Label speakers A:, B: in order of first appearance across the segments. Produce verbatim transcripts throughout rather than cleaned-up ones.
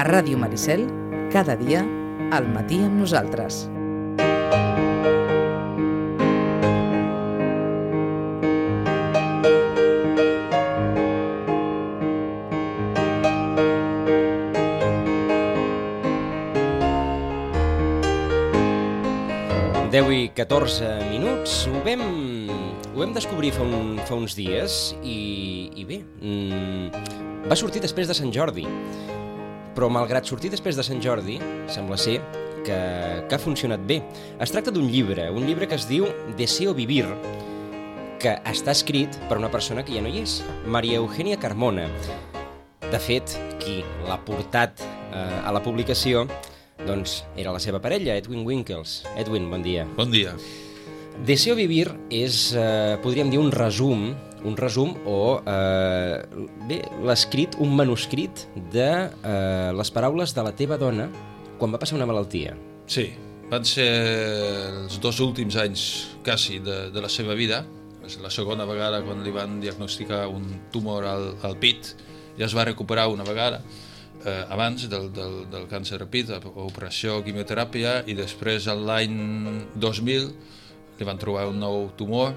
A: A Ràdio Maricel, cada dia, al matí amb nosaltres.
B: deu i catorze minuts, ho vam, ho vam descobrir fa, un, fa uns dies i, i bé, mmm, va sortir després de Sant Jordi, però malgrat sortir després de Sant Jordi, sembla ser que, que ha funcionat bé. Es tracta d'un llibre, un llibre que es diu Deseo vivir, que està escrit per una persona que ja no hi és, María Eugenia Carmona. De fet, qui l'ha portat eh, a la publicació doncs era la seva parella, Edwin Winkles. Edwin, bon dia.
C: Bon dia.
B: Deseo vivir és, eh, podríem dir, un resum, un resum o, eh, bé, l'escrit, un manuscrit de eh, les paraules de la teva dona quan va passar una malaltia.
C: Sí, van ser els dos últims anys, quasi, de, de la seva vida. És la segona vegada quan li van diagnosticar un tumor al, al pit. Ja es va recuperar una vegada. Eh, abans del, del, del càncer de pit, operació, quimioteràpia, i després l'any dos mil li van trobar un nou tumor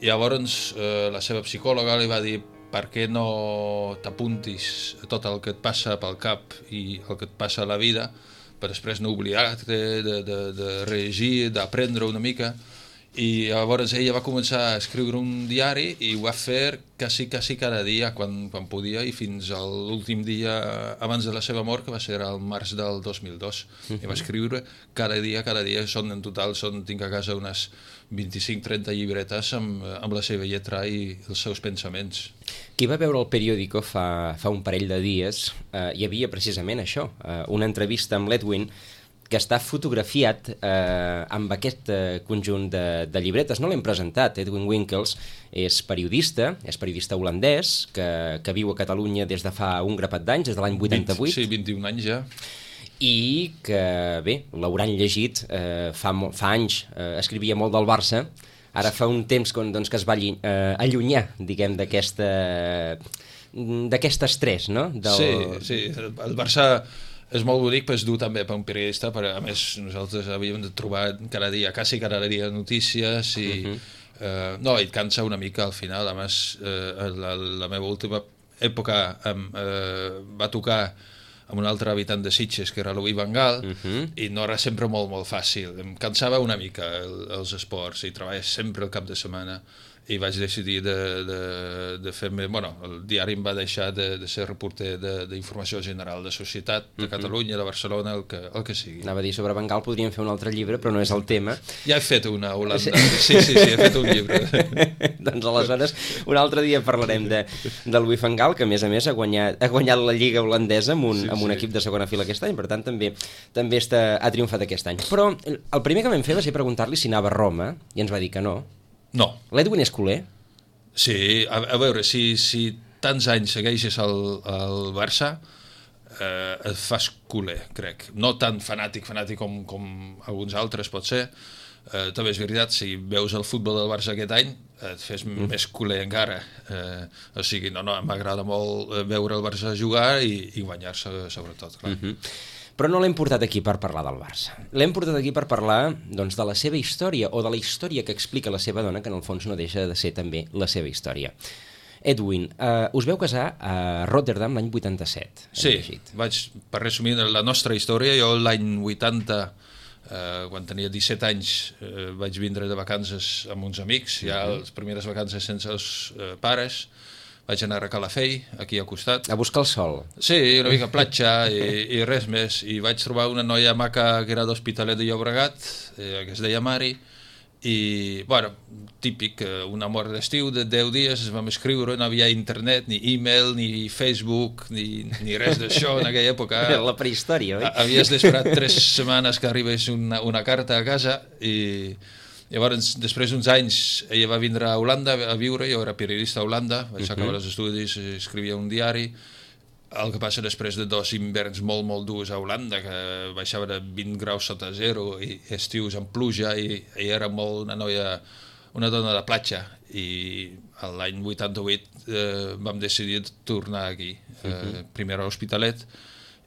C: i llavors eh, la seva psicòloga li va dir: per què no t'apuntis a tot el que et passa pel cap i el que et passa a la vida per després no oblidar-te de, de, de reagir, d'aprendre una mica. I llavors ella va començar a escriure un diari i ho va fer quasi, quasi cada dia quan, quan podia, i fins a l'últim dia abans de la seva mort, que va ser al març del dos mil dos. Uh-huh. I va escriure cada dia, cada dia. Són, en total són, tinc a casa unes vint-i-cinc trenta llibretes amb, amb la seva lletra i els seus pensaments.
B: Qui va veure el periòdico fa, fa un parell de dies, eh, hi havia precisament això, eh, una entrevista amb l'Edwin que està fotografiat eh, amb aquest eh, conjunt de, de llibretes. No l'hem presentat. Edwin Winkles és periodista, és periodista holandès, que, que viu a Catalunya des de fa un grapat d'anys, des de l'any vuitanta-vuit.
C: Sí, vint-i-un anys ja.
B: I que, bé, l'hauran llegit eh, fa, fa anys, eh, escrivia molt del Barça, ara fa un temps que, doncs, que es va allunyar, eh, allunyar diguem, d'aquesta d'aquest estrès, no? Del...
C: Sí, sí, el Barça és molt bonic, però és dur també per un periodista, però a més nosaltres havíem de trobar cada dia, quasi cada dia notícies i uh-huh. eh, no, et cansa una mica al final. A més, eh, la, la meva última època em, eh, va tocar amb un altre habitant de Sitges, que era Louis van Gaal, uh-huh. i no era sempre molt, molt fàcil. Em cansava una mica el, els esports i treballes sempre el cap de setmana. I vaig decidir de, de, de fer-me... Bueno, el diari em va deixar de, de ser reporter d'informació general de societat, de Catalunya, de Barcelona, el que, el que sigui.
B: Anava a dir, sobre Van Gaal podríem fer un altre llibre, però no és el tema.
C: Ja he fet una Holanda. Sí, sí, sí, he fet un llibre.
B: Doncs aleshores, un altre dia parlarem de, de Louis van Gaal, que a més a més ha guanyat, ha guanyat la Lliga holandesa amb un, sí, amb un sí. equip de segona fila aquest any, per tant també, també està, ha triomfat aquest any. Però el primer que vam fer va ser preguntar-li si anava a Roma, i ens va dir que no.
C: No.
B: L'Edwin és culer?
C: Sí, a, a veure, si, si tants anys segueixes el, el Barça, eh, et fas culer, crec. No tan fanàtic, fanàtic com, com alguns altres pot ser. Eh, també és veritat, si veus el futbol del Barça aquest any, et fes mm. més culer encara. Eh, o sigui, no, no, m'agrada molt veure el Barça jugar i, i guanyar-se, sobretot, clar.
B: Mm-hmm. Però no l'hem portat aquí per parlar del Barça. L'hem portat aquí per parlar doncs, de la seva història, o de la història que explica la seva dona, que en el fons no deixa de ser també la seva història. Edwin, eh, us veu casar a Rotterdam l'any vuitanta-set.
C: Sí, vaig, per resumir la nostra història, jo l'any vuitanta, eh, quan tenia disset anys, eh, vaig vindre de vacances amb uns amics, ja uh-huh. les primeres vacances sense els eh, pares. Vaig anar a Calafell, aquí al costat.
B: A buscar el sol.
C: Sí, una mica platja i, i res més. I vaig trobar una noia maca que era d'Hospitalet de Llobregat, eh, que es deia Mari, i, bueno, típic, un amor d'estiu de deu dies, es vam escriure, no havia internet, ni e-mail, ni Facebook, ni, ni res d'això en aquella època.
B: La prehistòria, oi?
C: Havies d'esperar tres setmanes que arribés una, una carta a casa i... Llavors, després d'uns anys, ella va vindre a Holanda a viure, jo era periodista a Holanda, vaig uh-huh. acabar els estudis, escrivia un diari. El que passa després de dos hiverns molt, molt durs a Holanda, que baixava de vint graus sota zero i estius amb pluja, i ella era molt una noia, una dona de platja, i l'any vuitanta-vuit eh, vam decidir tornar aquí, eh, uh-huh. primer a l'Hospitalet,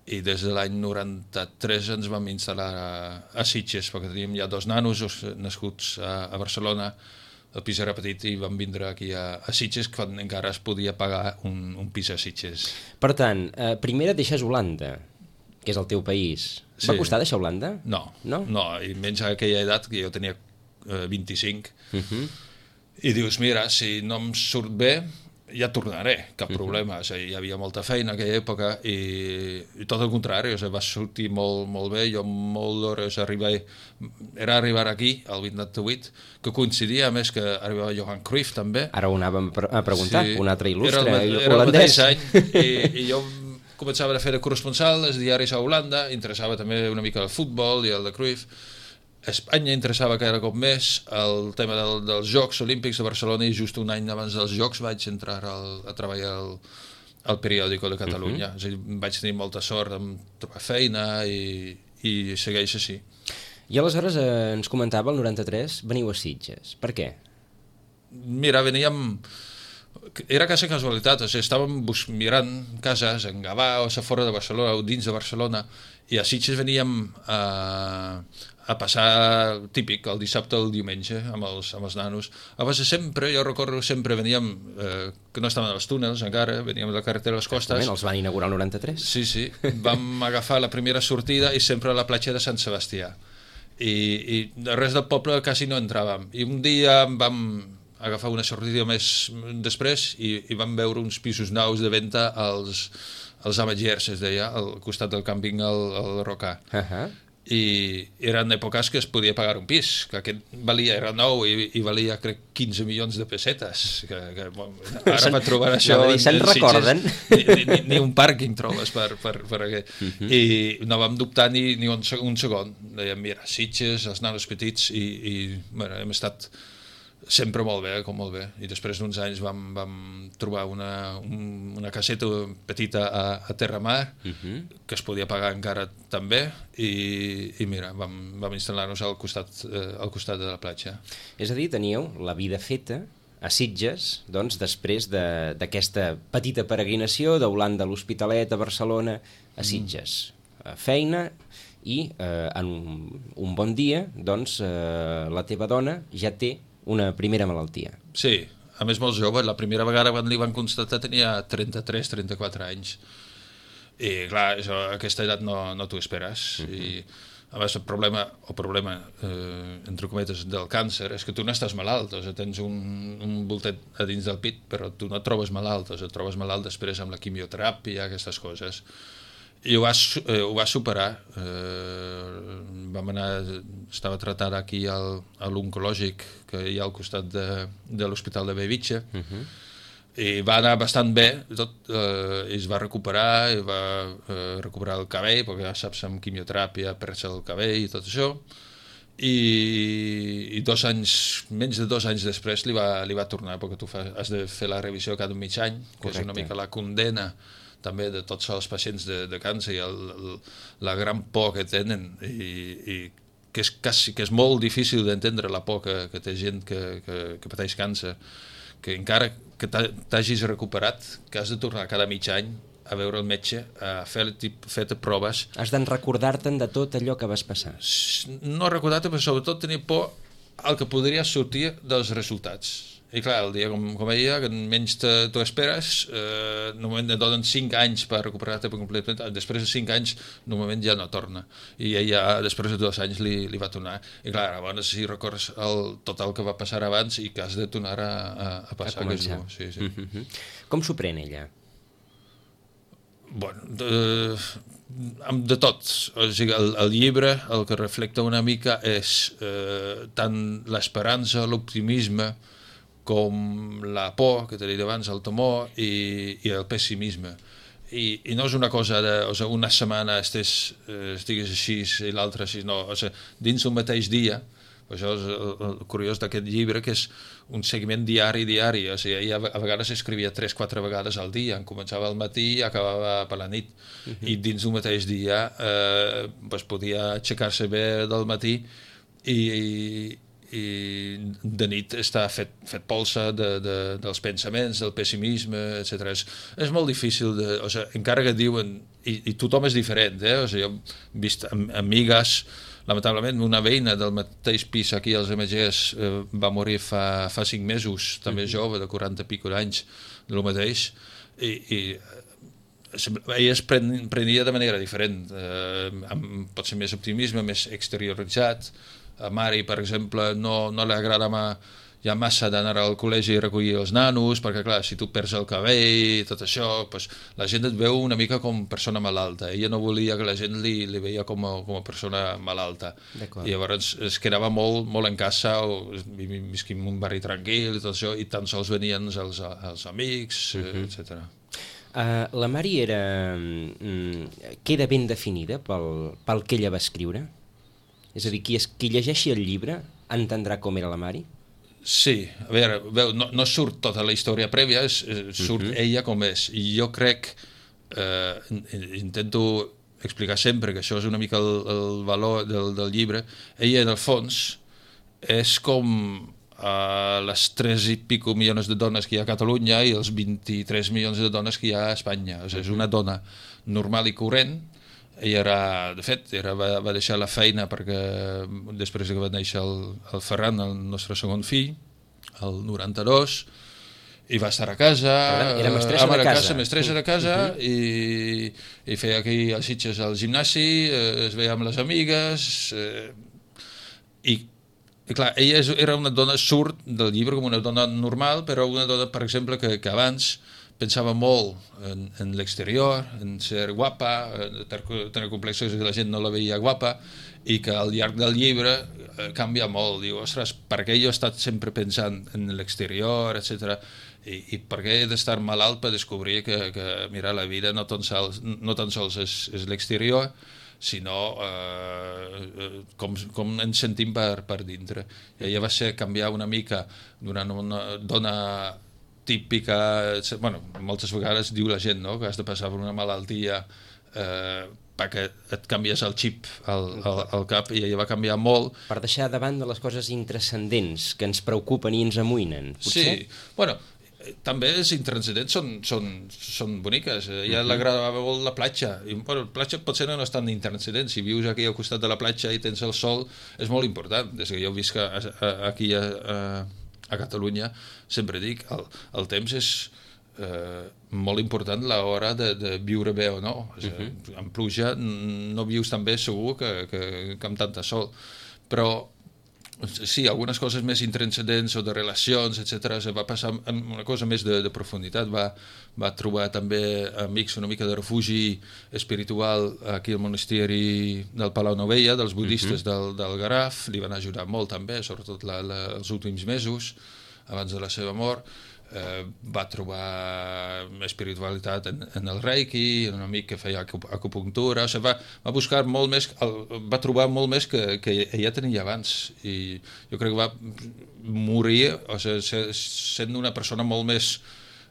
C: i des de l'any noranta-tres ens vam instal·lar a, a Sitges, perquè teníem ja dos nanos nascuts a, a Barcelona, el pis era petit i vam vindre aquí a, a Sitges quan encara es podia pagar un, un pis a Sitges.
B: Per tant, eh, primer et deixes Holanda, que és el teu país. Va
C: Sí.
B: costar deixar Holanda?
C: No,
B: No?
C: no, i menys a aquella edat, que jo tenia eh, vint-i-cinc,
B: Uh-huh.
C: i dius, mira, si no em surt bé, ja tornaré, cap problema. O sigui, hi havia molta feina en aquella època i, i tot el contrari, o sigui, va sortir molt, molt bé. Jo molt d'hores arribar, era arribar aquí, al vuitanta-vuit, que coincidia a més que arribava Johan Cruyff també.
B: Ara ho anàvem a preguntar, sí, un altre il·lustre
C: era el, era
B: holandès.
C: el mateix any i, i jo començava a fer de corresponsal als diaris a Holanda, interessava també una mica el futbol i el de Cruyff. Espanya interessava cada cop més el tema del, dels Jocs Olímpics de Barcelona i just un any abans dels Jocs vaig entrar al, a treballar al, al periòdico de Catalunya. Uh-huh. És a dir, vaig tenir molta sort de trobar feina i, i segueix així.
B: I aleshores eh, ens comentava, el noranta-tres, veniu a Sitges. Per què?
C: Mira, veníem... Era quasi casualitat, o sigui, estàvem bus... mirant cases en Gavà o a fora de Barcelona o dins de Barcelona i a Sitges veníem a, a passar típic el dissabte o el diumenge amb els, amb els nanos. A base sempre, jo recordo, sempre veníem, eh, que no estaven als túnels encara, veníem de la carretera a les costes.
B: Exactament, els van inaugurar el noranta-tres.
C: Sí, sí, vam agafar la primera sortida i sempre a la platja de Sant Sebastià. I, i el rest del poble quasi no entràvem. I un dia vam agafar una sortida més després i, i vam veure uns pisos nous de venda als, als Ametllers, es deia, al costat del càmping al, al Rocà.
B: Uh-huh.
C: I eren èpoques que es podia pagar un pis, que aquest valia, era nou i, i valia, crec, quinze milions de pessetes. Que, que, bueno, ara per trobar això...
B: No, se'n recorden?
C: Ni, ni, ni un pàrquing trobes per, per, per aquest. Uh-huh. I no vam dubtar ni, ni un, un segon. Dèiem, mira, Sitges, els nanos petits, i, i bueno, hem estat sempre molt bé, com molt bé. I després d'uns anys vam, vam trobar una, un, una caseta petita a, a Terramar, uh-huh. que es podia pagar encara també, i, i mira, vam, vam instal·lar-nos al costat, eh, al costat de la platja.
B: És a dir, teníeu la vida feta a Sitges, doncs, després d'aquesta de, petita peregrinació d'Holanda a l'Hospitalet, a Barcelona, a Sitges. Mm. Feina i eh, en un, un bon dia, doncs, eh, la teva dona ja té una primera malaltia.
C: Sí, a més molt jove, la primera vegada quan li van constatar tenia trenta-tres trenta-quatre anys. I clar, això, a aquesta edat no, no t'ho esperes. Uh-huh. I a més el problema, el problema eh, entre cometes, del càncer és que tu no estàs malalt, o sigui, tens un, un voltet a dins del pit, però tu no et trobes malalt, o sigui, et trobes malalt després amb la quimioteràpia, aquestes coses. I ho va, eh, ho va superar. Eh, vam anar, estava tratada aquí al, a l'oncològic que hi ha al costat de, de l'Hospital de Bellvitge, uh-huh. i va anar bastant bé, tot, eh, i es va recuperar, i va eh, recuperar el cabell, perquè ja saps, amb quimioteràpia perds el cabell i tot això, i, i dos anys, menys de dos anys després li va, li va tornar, perquè tu fa, has de fer la revisió cada mig any, que Correcte. És una mica la condena també de tots els pacients de, de càncer i el, el, la gran por que tenen i, i que, és quasi, que és molt difícil d'entendre la por que, que té gent que, que, que pateix càncer, que encara que t'hagis recuperat, que has de tornar cada mig any a veure el metge, a fer, fer proves.
B: Has d'en recordar-te'n de tot allò que vas passar.
C: No recordar-te, però sobretot tenir por al que podria sortir dels resultats. I clar, el dia com, com ella, que menys t'ho esperes, eh, normalment et donen cinc anys per recuperar-te per completament, després de cinc anys normalment ja no torna, i ella després de dos anys li, li va tornar, i clar, llavors si recordes el, tot el que va passar abans i que has de tornar a, a, a passar.
B: A començar.
C: Que és, sí, sí.
B: Mm-hmm. Com s'ho pren ella?
C: Bueno, de, de tot. O sigui, el, el llibre el que reflecta una mica és eh, tant l'esperança, l'optimisme, com la por, que t'he dit abans, el temor i, i el pessimisme. I, I no és una cosa de, o sigui, una setmana estés, eh, estigues així i l'altra així, no. O sigui, dins un mateix dia, això és el, el curiós d'aquest llibre, que és un seguiment diari, diari. O sigui, ella a vegades escrivia tres quatre vegades al dia, en començava al matí i acabava per la nit. Uh-huh. I dins un mateix dia eh, pues, podia aixecar-se bé del matí i, i i de nit està fet, fet polsa de, de, dels pensaments, del pessimisme, etcètera. És, és molt difícil, de, o sigui, encara que diuen, i, i tothom és diferent, eh? O sigui, jo he vist am, amigues, lamentablement una veïna del mateix pis aquí als M Gs eh, va morir fa, fa cinc mesos, també mm-hmm. jove, de quaranta i pico d'anys, del mateix, i, i ella es pren, prenia de manera diferent, eh, amb potser més optimisme, més exterioritzat. A Mari, per exemple, no, no li agrada ja massa d'anar al col·legi i recollir els nanos, perquè clar, si tu perds el cabell i tot això, pues, la gent et veu una mica com persona malalta. Ella no volia que la gent li, li veia com a, com a persona malalta. I llavors es quedava molt, molt en casa, o visquim en un barri tranquil i tot això, i tan sols venien els, els amics, uh-huh. etcètera.
B: Uh, la Mari era, mm, queda ben definida pel, pel que ella va escriure? És a dir, qui, es, qui llegeixi el llibre entendrà com era la Mari?
C: Sí, a veure, veu, no, no surt tota la història prèvia, és, surt uh-huh. ella com és. I jo crec, eh, intento explicar sempre que això és una mica el, el valor del, del llibre, ella en el fons és com a les tres i pico milions de dones que hi ha a Catalunya i els vint-i-tres milions de dones que hi ha a Espanya. O sigui, és una dona normal i corrent. Ella era, de fet, era, va, va deixar la feina perquè després que va néixer el, el Ferran, el nostre segon fill, el noranta-dos, i va estar a casa,
B: era mestressa de casa,
C: casa mestressa de casa uh-huh. i, i feia aquí els Sitges al gimnasi, eh, es veia amb les amigues, eh, i I clar, ella és, era una dona, surt del llibre com una dona normal, però una dona, per exemple, que, que abans pensava molt en, en l'exterior, en ser guapa, en tenir complexos que la gent no la veia guapa, i que al llarg del llibre eh, canvia molt. Diu, ostres, per què jo he estat sempre pensant en l'exterior, etcètera, i, i per què he d'estar malalt per descobrir que, que mira, la vida no tan sols, no tan sols és, és l'exterior, sinó eh, com, com ens sentim per, per dintre. I ella va ser canviar una mica d'una una dona típica, bueno, moltes vegades diu la gent, no?, que has de passar per una malaltia eh, perquè et canvies el xip al, al, al cap, i ella va canviar molt. Per
B: deixar davant de les coses intranscendents que ens preocupen i ens amoïnen, potser?
C: Sí, bueno, també les intranscendents són, són, són boniques. A ella uh-huh. l'agradava molt la platja. I, bueno, la platja potser no és tan intranscendent. Si vius aquí al costat de la platja i tens el sol, és molt important. Des que jo visc a, a, aquí a, a, a Catalunya, sempre dic, el, el temps és eh, molt important a l'hora de, de viure bé o no. O sigui, uh-huh. amb pluja no vius tan bé segur que, que, que amb tanta sol. Però sí, algunes coses més intranscendents o de relacions, etcètera, se va passar amb una cosa més de, de profunditat. Va, va trobar també amics, una mica de refugi espiritual aquí al monasteri del Palau Novella, dels budistes uh-huh. del, del Garraf. Li van ajudar molt també, sobretot la, la, els últims mesos, abans de la seva mort. Eh, va trobar espiritualitat en, en el Reiki, en un amic que feia acupuntura, o sigui, va, va buscar molt més, el, va trobar molt més que, que ella tenia abans, i jo crec que va morir, o sigui, sent una persona molt més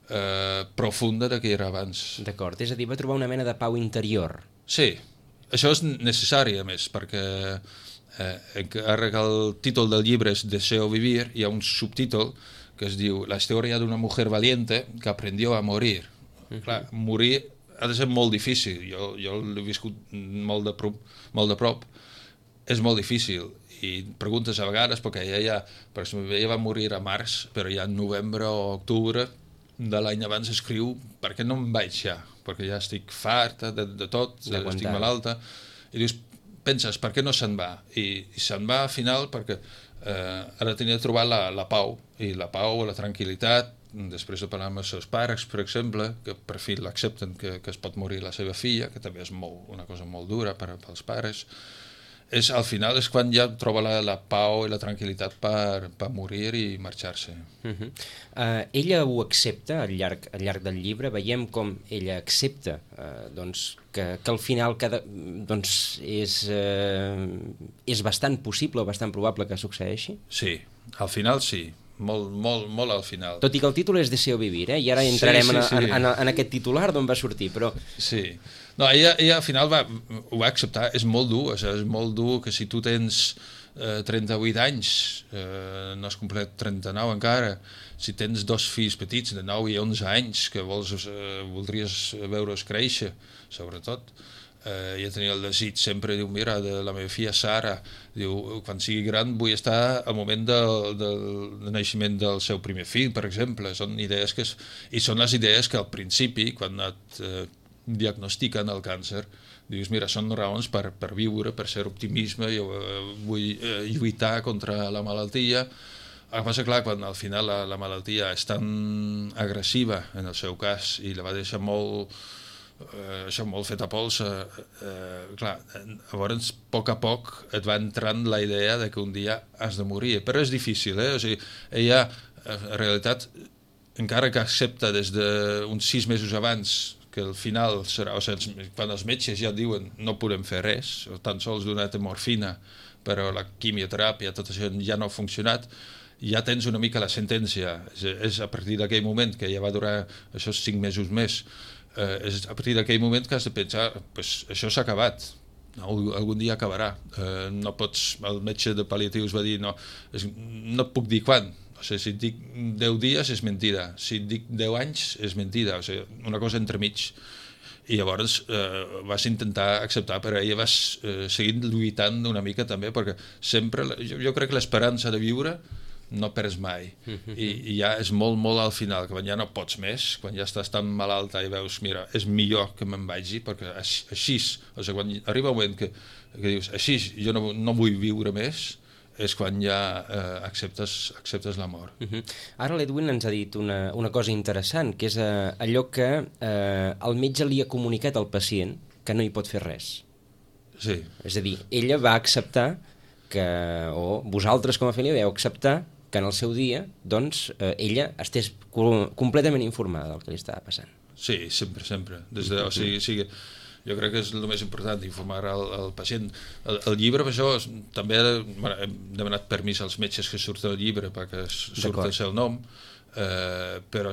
C: eh, profunda del que era abans.
B: D'acord, és a dir, va trobar una mena de pau interior.
C: Sí, això és necessari, a més, perquè eh, encara que el títol del llibre és Deseo vivir, hi ha un subtítol que es diu La història d'una mujer valiente que aprendió a morir. Uh-huh. Clar, morir ha de ser molt difícil. Jo, jo l'he viscut molt de, prop, molt de prop. És molt difícil. I preguntes a vegades, perquè ella, ja, per exemple, ella va morir a març, però ja en novembre o octubre de l'any abans escriu per què no em vaig ja? Perquè ja estic farta de, de tot, estic malalta. I dius, penses, per què no se'n va? I, i se'n va al final perquè eh, ara tenia de trobar la, la pau, i la pau, la tranquil·litat, després de parlar amb els seus pares, per exemple, que per fi l'accepten que, que es pot morir la seva filla, que també és molt, una cosa molt dura per, pels pares. És, al final és quan ja troba la, la pau i la tranquil·litat per, per morir i marxar-se.
B: Uh-huh. uh, ella ho accepta al llarg, al llarg del llibre, veiem com ella accepta uh, doncs, que, que al final cada, doncs, és, uh, és bastant possible o bastant probable que succeeixi?
C: Sí, al final sí. Molt, molt, molt al final.
B: Tot i que el títol és Deseo vivir, eh? I ara entrarem sí, sí, sí. En, en, en aquest titular d'on va sortir, però...
C: Sí, no, ella, ella al final va, ho va acceptar, és molt dur, o sigui, és molt dur que si tu tens eh, trenta-vuit anys, eh, no has complet trenta-nou encara, si tens dos fills petits de nou i onze anys que vols, eh, voldries veure's créixer, sobretot, eh, ja tenia el desig sempre, diu, mira, de la meva filla Sara, diu, quan sigui gran vull estar al moment del, del, del naixement del seu primer fill, per exemple. Són idees que... És, i són les idees que al principi, quan et eh, diagnostiquen el càncer, dius, mira, són raons per, per viure, per ser optimisme, jo eh, vull eh, lluitar contra la malaltia. El que passa, clar, quan al final la, la malaltia és tan agressiva, en el seu cas, i la va deixar molt... Eh, això molt fet a pols, eh, eh, clar, llavors a poc a poc et va entrant la idea de que un dia has de morir, però és difícil, eh? O sigui, ella en realitat encara que accepta des d'uns sis mesos abans que el final serà, o sigui, quan els metges ja diuen no podem fer res, o tan sols donar morfina, però la quimioteràpia, tot això ja no ha funcionat, ja tens una mica la sentència, és, és a partir d'aquell moment que ja va durar això cinc mesos més, Eh, és a partir d'aquell moment que has de pensar, pues, això s'ha acabat, no, algun dia acabarà, eh, no pots, el metge de pal·liatius va dir no, és, no et puc dir quan, o sigui, si et dic deu dies és mentida, si et dic deu anys és mentida, o sigui, una cosa entremig, i llavors eh, vas intentar acceptar, però ella vas eh, seguint lluitant una mica també, perquè sempre, jo, jo crec que l'esperança de viure no perds mai, I, i ja és molt, molt al final, que quan ja no pots més, quan ja estàs tan malalta i veus, mira, és millor que me'n vagi, perquè així, o sigui, quan arriba un moment que, que dius, així, jo no, no vull viure més, és quan ja eh, acceptes, acceptes la mort.
B: Uh -huh. Ara l'Edwin ens ha dit una, una cosa interessant, que és eh, allò que eh, el metge li ha comunicat al pacient que no hi pot fer res.
C: Sí.
B: És a dir, ella va acceptar que, o vosaltres com a família vau acceptar que en el seu dia, doncs, eh, ella estés completament informada del que li estava passant.
C: Sí, sempre, sempre. Des de, o sigui, o sigui, jo crec que és el més important, informar el, el pacient. El, el llibre, per això, també bueno, hem demanat permís als metges que surten del llibre perquè surt el seu nom, eh, però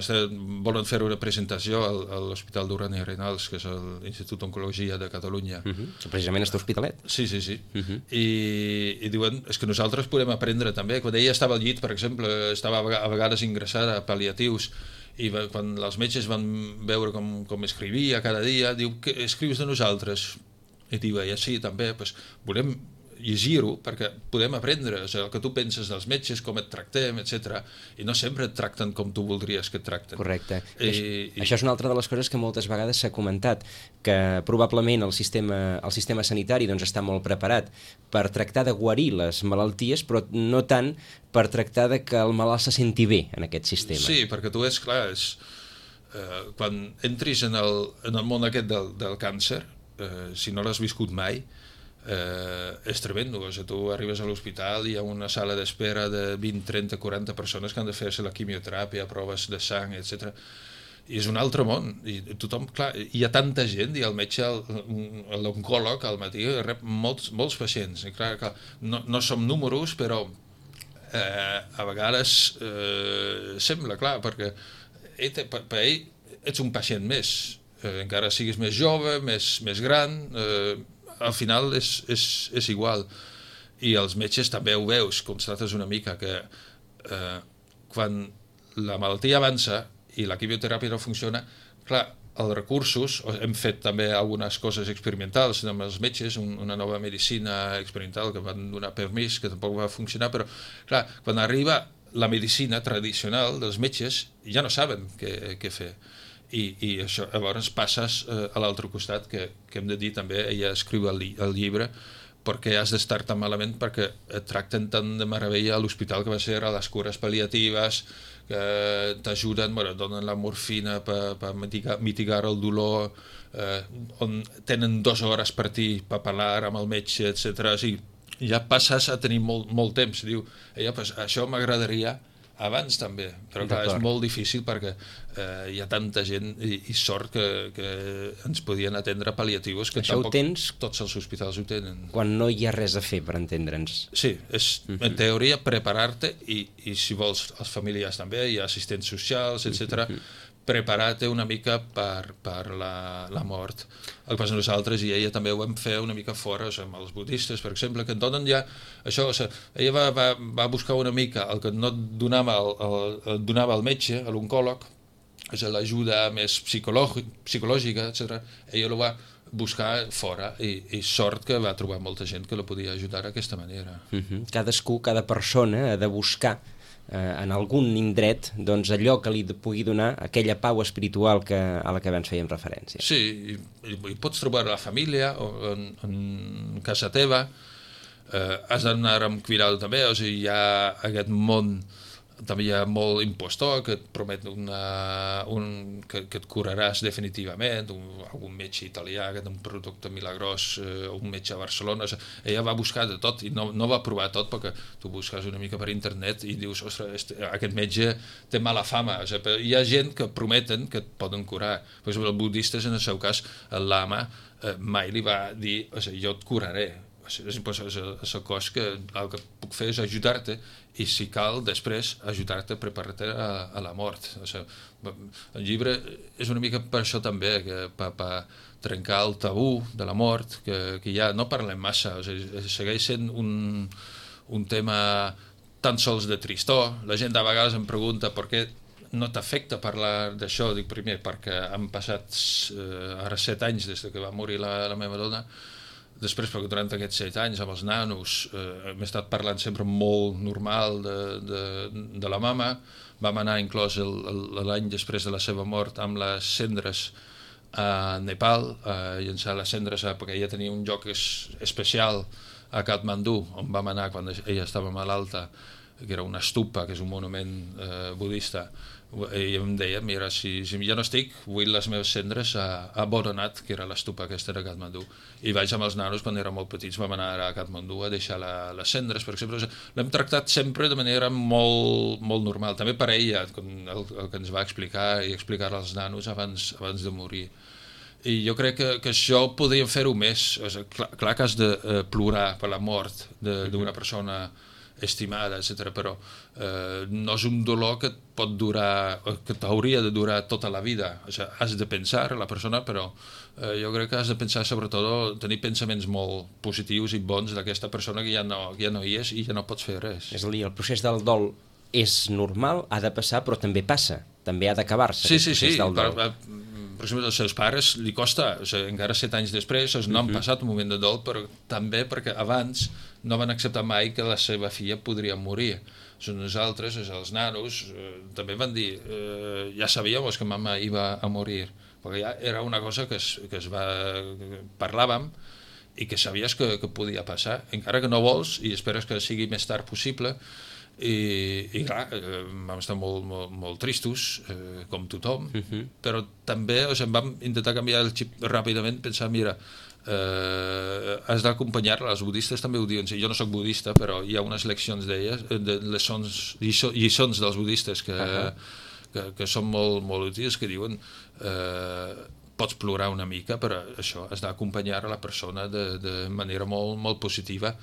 C: volen fer una presentació al, a l'Hospital Duran i Renals, que és l'Institut d'Oncologia de Catalunya.
B: Uh -huh. Que precisament està a Hospitalet.
C: Sí, sí, sí. Uh -huh. I, I diuen, és que nosaltres podem aprendre també. Quan ella estava al llit, per exemple, estava a vegades ingressada a pal·liatius, i va, quan els metges van veure com, com escrivia cada dia, diu, que escrius de nosaltres? I diu, ja sí, també, doncs volem llegir-ho perquè podem aprendre, o sigui, el que tu penses dels metges, com et tractem, etcètera. I no sempre et tracten com tu voldries que et tracten.
B: Correcte.
C: I,
B: I, I... Això és una altra de les coses que moltes vegades s'ha comentat, que probablement el sistema, el sistema sanitari doncs, està molt preparat per tractar de guarir les malalties, però no tant per tractar de que el malalt se senti bé en aquest sistema.
C: Sí, perquè tu és clar, és, eh, quan entris en el, en el món aquest del, del càncer, eh, si no l'has viscut mai, Eh, és tremendo, o sigui, tu arribes a l'hospital i hi ha una sala d'espera de vint, trenta, quaranta persones que han de fer-se la quimioteràpia, proves de sang, etcètera. I és un altre món, i tothom, clar, hi ha tanta gent, i el metge, l'oncòleg al matí rep molts, molts pacients, i clar, clar no, no som números, però eh, a vegades eh, sembla, clar, perquè ell, per, per ell ets un pacient més, eh, encara siguis més jove, més, més gran, eh, al final és, és, és igual, i els metges també ho veus, constates una mica que eh, quan la malaltia avança i la quimioteràpia no funciona, clar, els recursos, hem fet també algunes coses experimentals amb els metges, un, una nova medicina experimental que van donar permís, que tampoc va funcionar, però clar, quan arriba la medicina tradicional dels metges ja no saben què, què fer. I, i això, llavors passes eh, a l'altre costat, que, que hem de dir també, ella escriu el, el llibre, perquè has d'estar tan malament perquè et tracten tan de meravella a l'hospital que va ser a les cures pal·liatives, que t'ajuden, bueno, donen la morfina per, per mitigar, mitigar el dolor, eh, on tenen dues hores per ti per parlar amb el metge, etcètera. O sigui, ja passes a tenir molt, molt temps. Diu, ella, pues, això m'agradaria abans també, però clar, és molt difícil perquè eh, hi ha tanta gent i, i sort que, que ens podien atendre pal·liatius que
B: això
C: tampoc
B: tens
C: tots els hospitals ho tenen.
B: Quan no hi ha res a fer, per entendre'ns.
C: Sí, és uh-huh. en teoria preparar-te i, i si vols els familiars també, hi ha assistents socials, etcètera. Uh-huh. preparar-te una mica per, per la, la mort. El que passa nosaltres i ella també ho vam fer una mica fora, o sigui, amb els budistes, per exemple, que et donen ja això, o sigui, ella va, va, va buscar una mica el que no et donava el, el, el, donava el metge, l'oncòleg, o sigui, l'ajuda més psicològica, etcètera. Ella ho va buscar fora i, i sort que va trobar molta gent que la podia ajudar d'aquesta manera.
B: Uh-huh. Cadascú, cada persona ha de buscar eh, en algun indret doncs, allò que li pugui donar aquella pau espiritual que, a la que abans fèiem referència.
C: Sí, i, i, i pots trobar a la família o en, en casa teva, eh, has d'anar amb cuidado també, o sigui, hi ha aquest món, també hi ha molt impostor que et promet una, un, que, que et curaràs definitivament, un, algun metge italià que té un producte milagrós, eh, un metge a Barcelona, o sigui, ella va buscar de tot i no, no va provar tot perquè tu busques una mica per internet i dius, ostres, este, aquest metge té mala fama, o sigui, hi ha gent que prometen que et poden curar. Per exemple, els budistes, en el seu cas, el lama eh, mai li va dir, o sigui, jo et curaré. És el cos que el que puc fer és ajudar-te i si cal després ajudar-te a preparar-te a, a la mort. O sigui, el llibre és una mica per això també, que per, per trencar el tabú de la mort, que, que ja no parlem massa, o sigui, segueix sent un, un tema tan sols de tristor. La gent a vegades em pregunta per què no t'afecta parlar d'això. Dic, primer, perquè han passat eh, ara set anys des que va morir la, la meva dona. Després, perquè durant aquests set anys amb els nanos eh, hem estat parlant sempre molt normal de, de, de la mama. Vam anar inclòs l'any després de la seva mort amb les cendres a Nepal, a llançar les cendres, perquè ella tenia un lloc es, especial a Katmandú, on vam anar quan ella estava malalta, que era una stupa, que és un monument eh, budista. I em deia, mira, si, si ja no estic, vull les meves cendres a, a Boronat, que era l'estupa aquesta de Katmandú. I vaig amb els nanos, quan eren molt petits, vam anar a Katmandú a deixar la, les cendres, per exemple. L'hem tractat sempre de manera molt, molt normal. També per ella, el, el que ens va explicar i explicar als nanos abans, abans de morir. I jo crec que, que això podríem fer-ho més. O sigui, clar, clar que has de eh, plorar per la mort d'una persona estimada, etcètera, però eh, no és un dolor que et pot durar, que t'hauria de durar tota la vida. O sigui, has de pensar a la persona, però eh, jo crec que has de pensar sobretot, tenir pensaments molt positius i bons d'aquesta persona que ja no, que ja no hi és i ja no pots fer res.
B: És a dir, el procés del dol és normal, ha de passar, però també passa, també ha d'acabar-se.
C: Sí, sí, sí,
B: del dol.
C: per, per exemple, als seus pares li costa, o sigui, encara set anys després no han passat un moment de dol, però també perquè abans no van acceptar mai que la seva filla podria morir. O sigui, nosaltres, els nanos, eh, també van dir, eh, ja sabíem que mama iba a morir, perquè ja era una cosa que es, que es va... Que parlàvem i que sabies que, que podia passar, encara que no vols i esperes que sigui més tard possible. I, i clar, eh, vam estar molt, molt, molt tristos, eh, com tothom, uh-huh. però també o sigui, vam intentar canviar el xip ràpidament, pensar, mira, eh, has d'acompanyar-la, els budistes també ho diuen, jo no soc budista, però hi ha unes leccions d'elles, de lliçons, lliçons dels budistes que, uh-huh. que, que són molt, molt útils, que diuen... Eh, pots plorar una mica, però això, has d'acompanyar a la persona de, de manera molt, molt positiva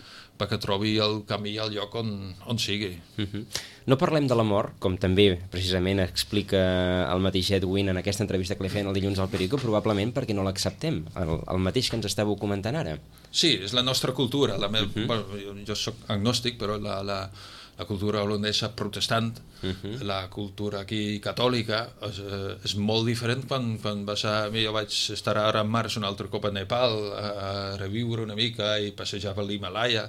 C: perquè trobi el camí al lloc on, on sigui.
B: Uh-huh. No parlem de la mort, com també precisament explica el mateix Edwin en aquesta entrevista que li feien el dilluns al Perico, probablement perquè no l'acceptem, el, el mateix que ens estàveu comentant ara.
C: Sí, és la nostra cultura. La meva, uh-huh. bueno, jo soc agnòstic, però la... la la cultura holandesa protestant, uh-huh. la cultura aquí catòlica, és, és molt diferent quan, quan vas a... Jo vaig estar ara en març un altre cop a Nepal a, a reviure una mica i passejar per l'Himalaya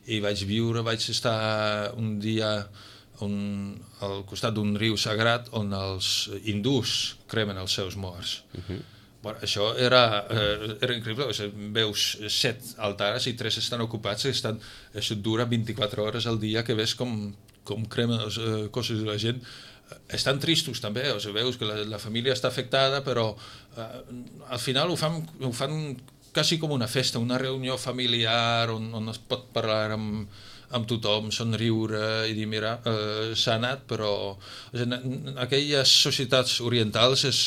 C: i vaig viure, vaig estar un dia un, al costat d'un riu sagrat on els hindús cremen els seus morts. Uh-huh. Bueno, això era, eh, era increïble, o sigui, veus set altares i tres estan ocupats, estan, això dura vint-i-quatre hores al dia, que ves com, com cremen les eh, coses de la gent. Estan tristos també, o sigui, veus que la, la família està afectada, però eh, al final ho fan, ho fan quasi com una festa, una reunió familiar on, on es pot parlar amb, amb tothom, somriure i dir, mira, eh, s'ha anat, però o sigui, en aquelles societats orientals és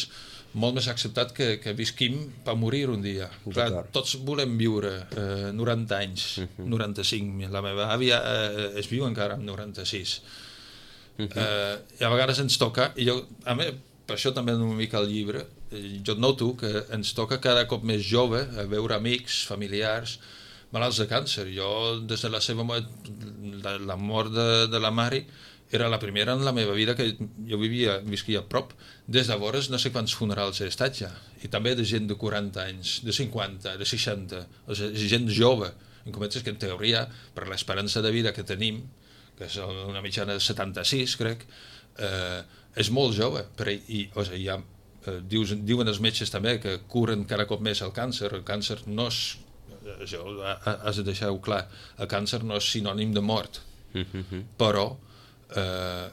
C: molt més acceptat que, que visquim per morir un dia. Clar, tots volem viure eh, noranta anys, uh-huh. noranta-cinc. La meva àvia eh, es viu encara amb noranta-sis. Uh-huh. Eh, I a vegades ens toca, i jo, a mi, per això també una mica el llibre, jo noto que ens toca cada cop més jove a veure amics, familiars, malalts de càncer. Jo, des de la seva mort, la, la mort de, de la Mari, era la primera en la meva vida que jo vivia, visquia a prop. Des de llavors no sé quants funerals he estat ja. I també de gent de quaranta anys, de cinquanta, de seixanta, o sigui, gent jove. En comences que en teoria, per l'esperança de vida que tenim, que és una mitjana de setanta-sis, crec, eh, és molt jove. Però, i, o sigui, ja, eh, dius, diuen els metges també que curen cada cop més el càncer. El càncer no és, això has de deixar-ho clar, el càncer no és sinònim de mort, mm-hmm. però Eh,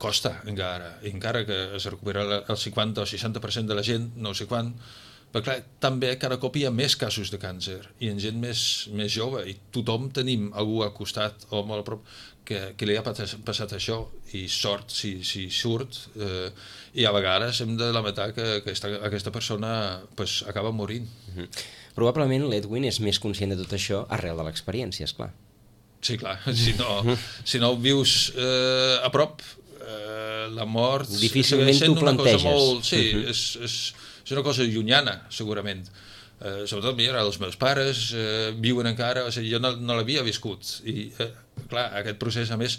C: costa encara, i encara que es recupera el cinquanta o seixanta per cent de la gent, no sé quan, però clar, també cada cop hi ha més casos de càncer i en gent més, més jove, i tothom tenim algú al costat o molt a prop que, que li ha passat això, i sort si, si surt, eh, i a vegades hem de lamentar que aquesta, aquesta persona pues, acaba morint.
B: Mm-hmm. Probablement l'Edwin és més conscient de tot això arrel de l'experiència, esclar.
C: Sí, clar, si no, si no vius eh, a prop, eh, la mort...
B: Difícilment t'ho planteges.
C: Molt, sí, uh-huh. és, és, és una cosa llunyana, segurament. Eh, sobretot, mira, els meus pares eh, viuen encara, o sigui, jo no, no l'havia viscut. I, eh, clar, aquest procés, a més,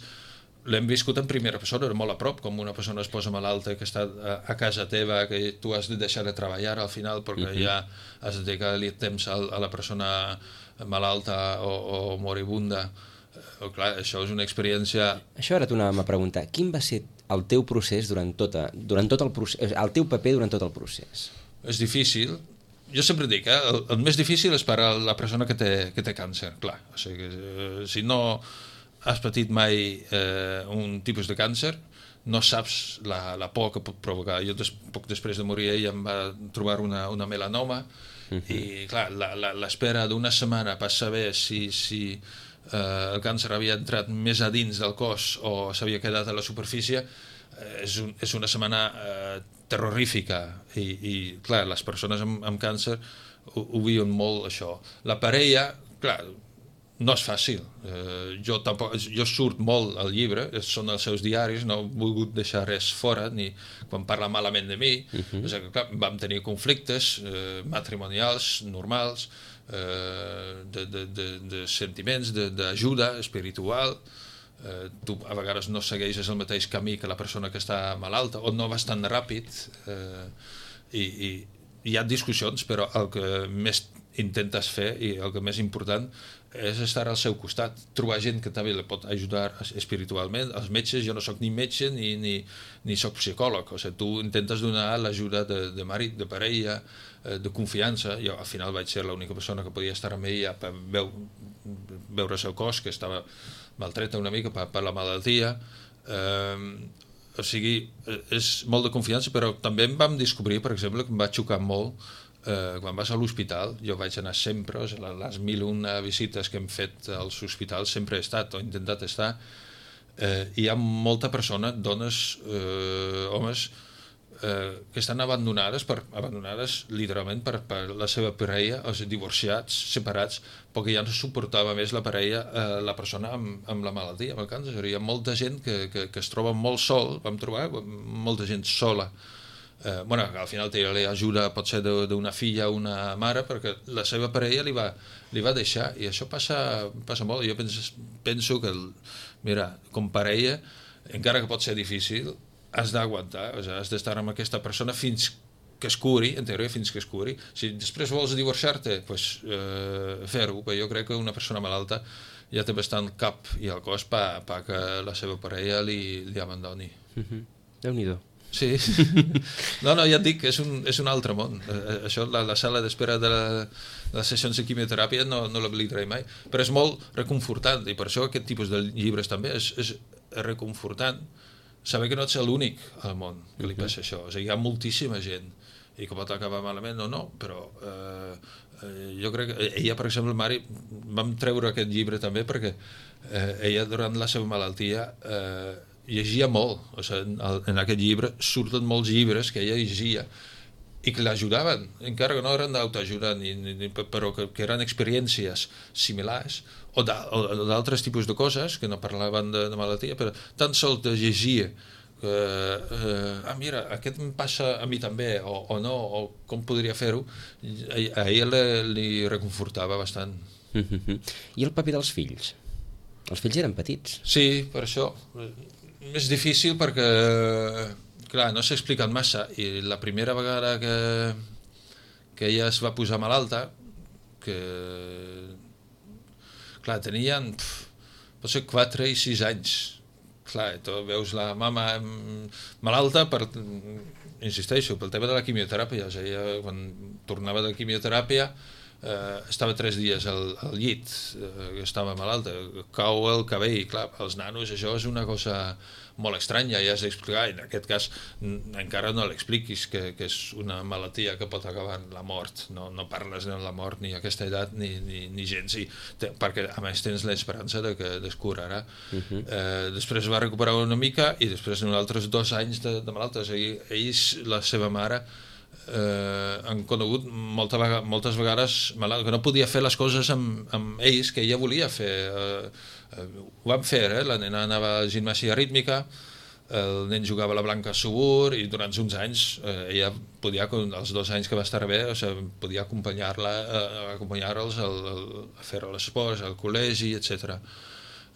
C: l'hem viscut en primera persona, molt a prop, com una persona es posa malalta que està a, a casa teva, que tu has de deixar de treballar al final, perquè uh-huh. ja has de dedicar-li temps a, a la persona malalta o, o moribunda. Oh, clar, això és una experiència...
B: Això ara t'ho anàvem a preguntar. Quin va ser el teu procés durant, tota, durant tot el procés, el teu paper durant tot el procés?
C: És difícil. Jo sempre dic, eh, el, el més difícil és per a la persona que té, que té càncer, clar. O sigui, eh, si no has patit mai eh, un tipus de càncer, no saps la, la por que pot provocar. Jo des, poc després de morir ell em va trobar una, una melanoma, uh-huh. i clar, l'espera d'una setmana per saber si... si Uh, el càncer havia entrat més a dins del cos o s'havia quedat a la superfície, uh, és, un, és una setmana uh, terrorífica, i, i clar, les persones amb, amb càncer ho, ho viuen molt, això. La parella, clar, no és fàcil. Uh, jo, tampoc, jo surt molt al llibre, són els seus diaris, no he volgut deixar res fora, ni quan parla malament de mi. Uh-huh. O sigui, clar, vam tenir conflictes uh, matrimonials, normals, Uh, de, de, de, de sentiments, d'ajuda espiritual. Uh, tu a vegades no segueixes el mateix camí que la persona que està malalta, o no vas tan ràpid, uh, i, i hi ha discussions, però el que més intentes fer, i el que més important, és estar al seu costat, trobar gent que també li pot ajudar espiritualment. Els metges, jo no sóc ni metge ni, ni, ni sóc psicòleg, o sigui, tu intentes donar l'ajuda de, de marit, de parella, de confiança. Jo al final vaig ser l'única persona que podia estar amb ella per veu, veure el seu cos, que estava maltreta una mica per, per la malaltia. Eh, o sigui, és molt de confiança, però també em vam descobrir, per exemple, que em va xocar molt eh, quan vas a l'hospital. Jo vaig anar sempre, o sigui, les mil una visites que hem fet als hospitals sempre he estat o he intentat estar. Eh, hi ha molta persona, dones, eh, homes, Eh, que estan abandonades, per, abandonades literalment per, per la seva parella, o sigui, divorciats, separats, perquè ja no suportava més la parella, eh, la persona amb, amb la malaltia, amb el càncer. Hi ha molta gent que, que, que es troba molt sol, vam trobar molta gent sola. Eh, bueno, al final té l'ajuda, pot ser d'una filla o una mare, perquè la seva parella li va, li va deixar, i això passa, passa molt. Jo penso, penso que, el, mira, com parella, encara que pot ser difícil, has d'aguantar, o sigui, has d'estar amb aquesta persona fins que es curi, en teoria fins que es curi. Si després vols divorciar-te, pues, eh, fer-ho, però jo crec que una persona malalta ja té bastant cap i el cos per pa que la seva parella li, li abandoni.
B: Mm-hmm. Déu-n'hi-do.
C: Sí. No, no, ja et dic, és un, és un altre món. Eh, això, la, la sala d'espera de, la, de les sessions de quimioteràpia no, no l'oblidaré mai, però és molt reconfortant, i per això aquest tipus de llibres també és, és reconfortant, saber que no ets l'únic al món que li passa això. O sigui, hi ha moltíssima gent i que pot acabar malament o no, però eh, eh, jo crec que ella, per exemple, Mari, vam treure aquest llibre també perquè eh, ella durant la seva malaltia eh, llegia molt. O sigui, en, en aquest llibre surten molts llibres que ella llegia i que l'ajudaven, encara que no eren d'autoajuda, ni, ni, però que, que eren experiències similars, o d'altres tipus de coses que no parlaven de, de malaltia, però tan sols de llegir que, eh, ah, mira, aquest em passa a mi també, o, o no, o com podria fer-ho, a ell li reconfortava bastant.
B: I el paper dels fills? Els fills eren petits.
C: Sí, per això. És difícil perquè, clar, no s'ha explicat massa, i la primera vegada que, que ella es va posar malalta, que, clar, tenien, pf, pot ser quatre i sis anys. Clar, tu veus la mama malalta per, insisteixo, pel tema de la quimioteràpia. O sigui, ella, quan tornava de quimioteràpia, eh, estava tres dies al, al llit, eh, estava malalta, cau el cabell. Clar, als nanos això és una cosa molt estranya, i has d'explicar, en aquest cas encara no l'expliquis, que, que és una malaltia que pot acabar en la mort. No, no parles de la mort ni a aquesta edat ni, ni, ni gens, i te, perquè a més tens l'esperança de que es curarà. Uh-huh. eh, després va recuperar una mica, i després en altres dos anys de, de malalta. O sigui, ells, la seva mare, eh, han conegut molta vega, moltes vegades malalt, que no podia fer les coses amb, amb ells que ella volia fer. eh, Uh, ho vam fer, eh? La nena anava a gimnàsia rítmica, el nen jugava a la Blanca Subur, i durant uns anys eh, ella podia, els dos anys que va estar bé, o sigui, podia acompanyar-la, eh, acompanyar-los a fer l'esports, al col·legi, etcètera.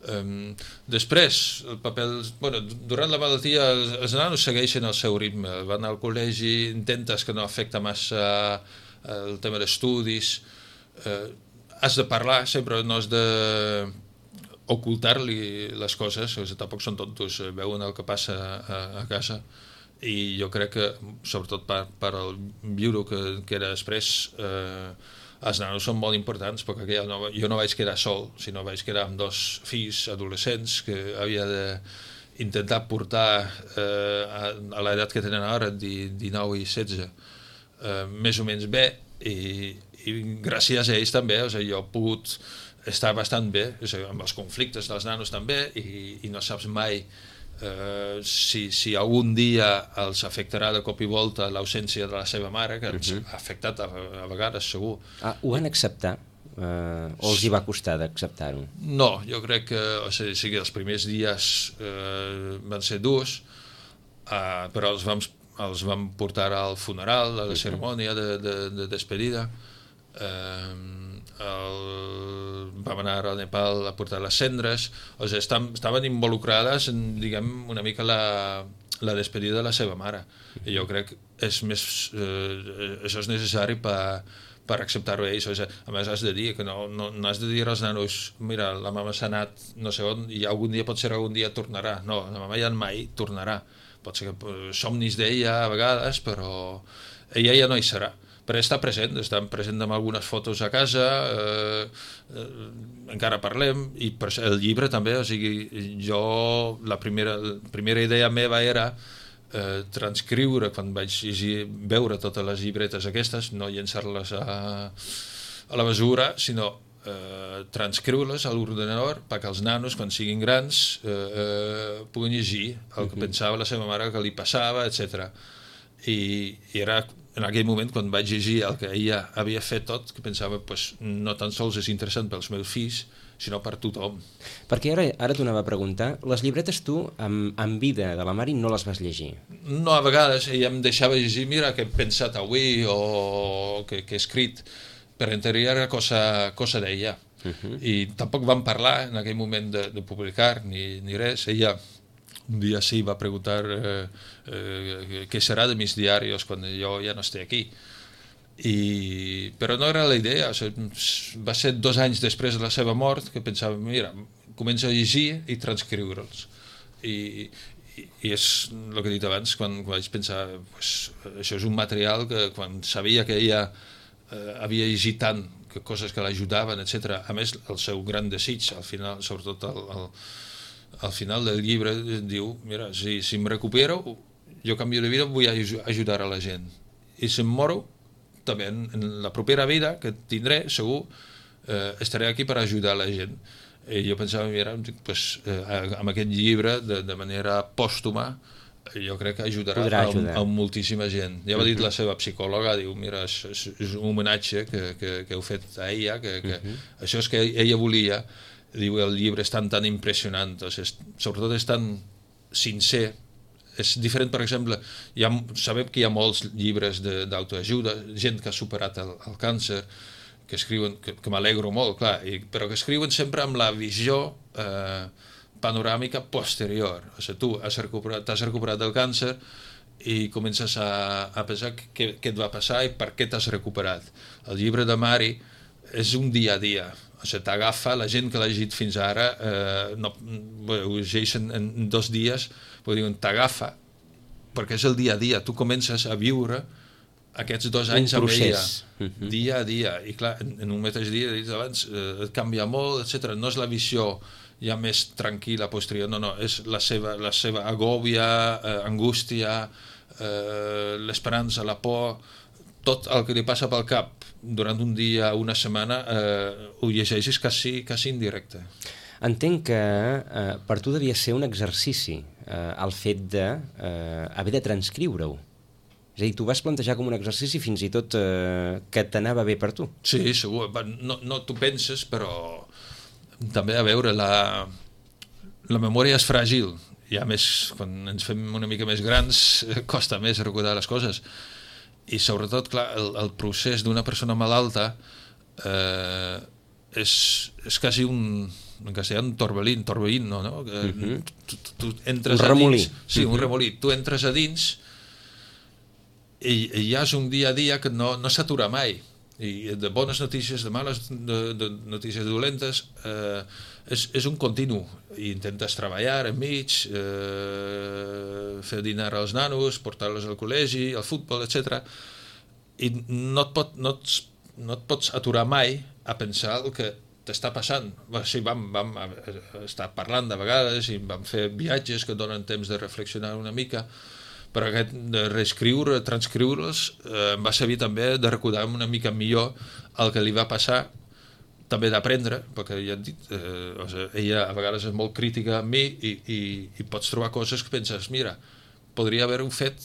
C: Um, després, el paper, bueno, durant la malaltia els, els nanos segueixen el seu ritme, van al col·legi, intentes que no afecta massa el tema d'estudis, eh, has de parlar sempre, no has de ocultar-li les coses, o sigui, tampoc són tontos, veuen el que passa a, a casa, i jo crec que, sobretot per, per el viure que, que era després, eh, els nanos són molt importants, perquè jo no, jo no vaig quedar sol, sinó vaig quedar amb dos fills adolescents que havia d'intentar portar eh, a, a l'edat que tenen ara, dinou i setze, eh, més o menys bé, i, i gràcies a ells també, o sigui, jo he pogut està bastant bé, amb els conflictes dels nanos també, i, i no saps mai eh, si, si algun dia els afectarà de cop i volta l'ausència de la seva mare, que ens uh-huh. ha afectat a, a vegades, segur.
B: Ah, ho van acceptar? Eh, o els hi va costar d'acceptar-ho?
C: No, jo crec que, o sigui, sí que els primers dies eh, van ser durs, eh, però els vam, els vam portar al funeral, a la uh-huh. cerimònia de, de, de despedida. Eh, el, vam anar a Nepal a portar les cendres, o sigui, estaven involucrades en, diguem, una mica la, la despedida de la seva mare, i jo crec que és més, eh, això és necessari per, per acceptar-ho ells. O sigui, a més has de dir que no, no, no has de dir als nanos, mira, la mama s'ha anat no sé on, i algun dia, potser algun dia tornarà. No, la mama ja mai tornarà, pot ser que somnis d'ella a vegades, però ella ja no hi serà. Però està present, està present amb algunes fotos a casa, eh, eh, encara parlem, i per el llibre també, o sigui, jo la primera, la primera idea meva era eh, transcriure, quan vaig llegir, veure totes les llibretes aquestes, no llençar-les a, a la basura, sinó eh, transcriure-les a l'ordenador perquè els nanos, quan siguin grans, eh, eh, puguin llegir el que pensava la seva mare, que li passava, etcètera. I, i era en aquell moment, quan vaig llegir el que ella havia fet tot, que pensava, pues, no tan sols és interessant pels meus fills, sinó per tothom.
B: Perquè ara, ara t'ho anava a preguntar, les llibretes tu, amb, amb vida de la Mari, no les vas llegir?
C: No, a vegades ella em deixava llegir, mira, què he pensat avui, o què he escrit, per interior cosa, cosa d'ella. Uh-huh. I tampoc vam parlar en aquell moment de, de publicar, ni, ni res. Ella un dia sí va preguntar eh, eh, què serà de mis diaris quan jo ja no estic aquí. I, però no era la idea, o sigui, va ser dos anys després de la seva mort que pensava, mira, comença a llegir i transcriure'ls. I, i, i és el que he dit abans, quan, quan vaig pensar, pues, això és un material que quan sabia que ella eh, havia llegit tant, que coses que l'ajudaven, etcètera. A més, el seu gran desig, al final, sobretot el, el al final del llibre diu, mira, si, si em recupero, jo canvio de vida, vull ajudar a la gent. I si em moro, també en, en la propera vida que tindré, segur, eh, estaré aquí per ajudar la gent. I jo pensava, mira, pues, eh, amb aquest llibre, de, de manera pòstuma, jo crec que ajudarà a, a moltíssima gent. Ja va dir la seva psicòloga, diu, mira, és, és un homenatge que, que, que heu fet a ella, que, que uh-huh. això és que ella volia. Diu, el llibre és tan, tan impressionant, o sigui, sobretot és tan sincer és diferent, per exemple, hi ha, sabem que hi ha molts llibres d'autoajuda, gent que ha superat el, el càncer, que escriuen, que, que m'alegro molt, clar, i, però que escriuen sempre amb la visió eh, panoràmica posterior. O sigui, tu has recuperat, t'has recuperat del càncer i comences a, a pensar què, què et va passar i per què t'has recuperat. El llibre de Mari és un dia a dia. O sigui, t'agafa, la gent que l'ha llegit fins ara, eh, no, ho llegeixen en dos dies, però diuen, t'agafa, perquè és el dia a dia. Tu comences a viure aquests dos anys amb ella, uh-huh. dia a dia. I clar, en, en un mateix dia, dit abans, eh, et canvia molt, etcètera. No és la visió ja més tranquil·la posterior, no, no, és la seva, la seva agòbia, eh, angústia, eh, l'esperança, la por, tot el que li passa pel cap durant un dia, una setmana, eh, ho llegeixes quasi, quasi en directe.
B: Entenc que eh, per tu devia ser un exercici eh, el fet de eh, haver de transcriure-ho. És a dir, tu vas plantejar com un exercici fins i tot eh, que t'anava bé per tu.
C: Sí, segur. No, no t'ho penses, però també, a veure, la, la memòria és fràgil. I a més, quan ens fem una mica més grans, costa més recordar les coses. I sobretot, clar, el, el procés d'una persona malalta eh, és, és quasi un, en castellà, un torbellín, torbellín, no? no? Uh-huh. tu, tu, tu entres
B: un remolí.
C: A dins, sí, uh-huh. un remolí. Tu entres a dins i, i ja és un dia a dia que no, no s'atura mai. I de bones notícies, de males de, de notícies dolentes, eh, és, és un continu. I intentes treballar enmig, eh, fer dinar als nanos, portar-los al col·legi, al futbol, etcètera. I no et, pot, no, et, no et pots aturar mai a pensar el que t'està passant. Sí, vam, vam estar parlant de vegades i vam fer viatges que donen temps de reflexionar una mica, però aquest de reescriure, transcriure'ls, eh, em va servir també de recordar una mica millor el que li va passar, també d'aprendre, perquè ja et dit, eh, o sigui, ella a vegades és molt crítica amb mi i, i, i pots trobar coses que penses, mira, podria haver-ho fet